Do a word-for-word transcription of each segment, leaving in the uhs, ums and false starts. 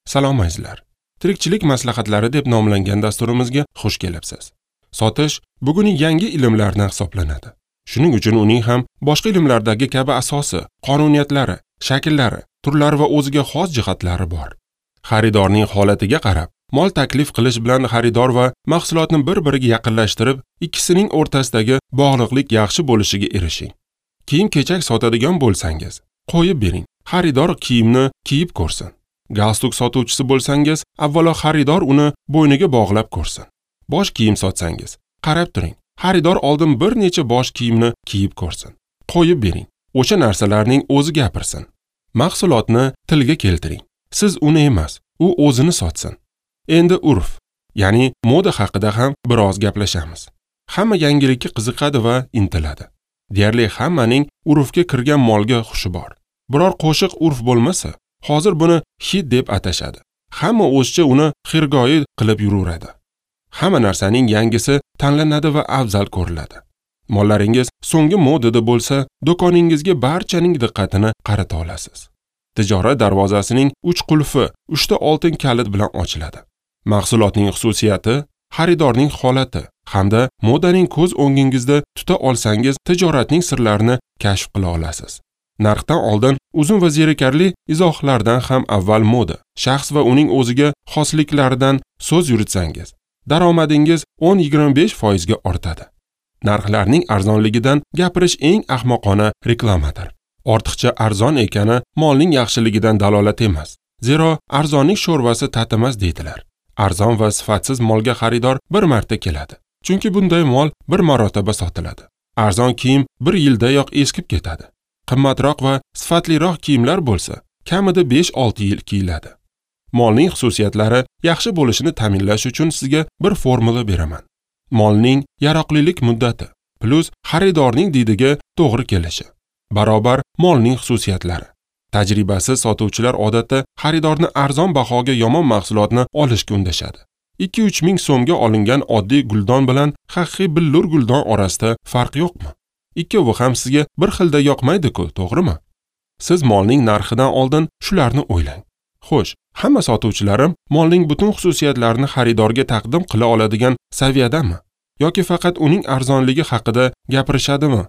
Salom azizlar. Tirikchilik maslahatlari deb nomlangan dasturimizga xush kelibsiz. Sotish bugungi yangi ilmlardan hisoblanadi. Shuning uchun uning ham boshqa ilmlardagi kabi asosi, qonuniyatlari, shakllari, turlari va o'ziga xos jihatlari bor. Xaridorning holatiga qarab, mol taklif qilish bilan xaridor va mahsulotni bir-biriga yaqinlashtirib, ikkisining o'rtasidagi bog'liqlik yaxshi bo'lishiga erishing. Kiyim-kechak sotadigan bo'lsangiz, qo'yib bering. Xaridor kiyimni kiyib ko'rsin. Galstuk sotuvchisi bo'lsangiz, avvalo xaridor uni bo'yniga bog'lab ko'rsin. Bosh kiyim sotsangiz, qarab turing. Xaridor oldin bir necha bosh kiyimni kiyib ko'rsin. Qo'yib bering. O'sha narsalarning o'zi gapirsin. Mahsulotni tilga keltiring. Siz uni emas, u o'zini sotsin. Endi urf, ya'ni moda haqida ham biroz gaplashamiz. Hamma yangilikka qiziqadi va intiladi. Deyarli hammaning urfga kirgan molga xushi bor. Biror qo'shiq urf bo'lmasa, hozir buni hit deb atashadi. Hamma o'zicha uni xirgoyi qilib yuraveradi. Hamma narsaning yangisi tanlanadi va afzal ko'riladi. Mollaringiz so'nggi modada bo'lsa, do'koningizga barchaning diqqatini qarata olasiz. Tijorat darvozasining uch qulfi uchta oltin kalit bilan ochiladi. Mahsulotning xususiyati, xaridorning holati hamda modaning ko'z o'ngingizda tuta olsangiz, tijoratning sirlarini kashf qila olasiz. Narxdan oldin uzun va zerikarli izohlardan ham avval moda, shaxs va uning o'ziga xosliklaridan so'z yuritsangiz, daromadingiz o'n yigirma besh foizga ortadi. Narxlarning arzonligidan gapirish eng ahmoqona reklamadir. Ortiqcha arzon ekani molning yaxshiligidan dalolat emas. Zero arzonning sho'rvasi tatimas deydilar. Arzon va sifatsiz molga xaridor bir marta keladi. Chunki bunday mol bir marotaba sotiladi. Arzon kiyim bir yildayoq eskib ketadi. Qimmatroq va sifatliroq kiyimlar bo'lsa, kamida besh olti yil kiyiladi. Molning xususiyatlari yaxshi bo'lishini ta'minlash uchun sizga bir formula beraman. Molning yaroqlilik muddati plus xaridorning didiga to'g'ri kelishi barobar molning xususiyatlari. Tajribasiz sotuvchilar odatda xaridorni arzon bahoga yomon mahsulotni olishga undashadi. ikki uch ming so'mga olingan oddiy guldon bilan haqiqiy billur guldon orasida farq yo'qmi? Ikkovi ham sizga bir xilda yoqmaydi-ku, to'g'rimi? Siz molning narxidan oldin shularni o'ylang. Xo'sh, hamma sotuvchilarim molning butun xususiyatlarini xaridorga taqdim qila oladigan saviyadami? Yoki faqat uning arzonligi haqida gapirishadimi?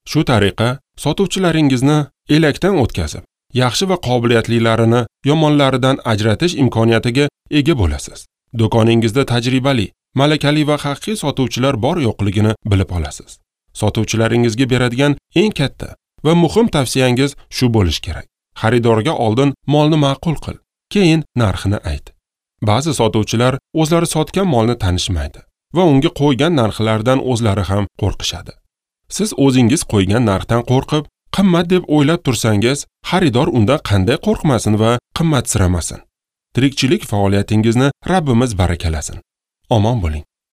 Shu tariqa sotuvchilaringizni elakdan o'tkazib, yaxshi va qobiliyatlilarini yomonlaridan ajratish imkoniyatiga ega bo'lasiz. Do'koningizda tajribali, malakali va haqiqiy sotuvchilar bor yo'qligini bilib olasiz. Sotuvchilaringizga beradigan eng katta va muhim tavsiyangiz shu bo'lishi kerak. Xaridorga oldin molni ma'qul qil, keyin narxini ayt. Ba'zi sotuvchilar o'zlari sotgan molni tanishmaydi va unga qo'ygan narxlardan o'zlari ham qo'rqishadi. Siz o'zingiz qo'ygan narxdan qo'rqib, qimmat deb o'ylab tursangiz, xaridor undan qanday qo'rqmasin va qimmatsiramasin. Tirikchilik faoliyatingizni Rabbimiz barakalasin. Omon bo'ling.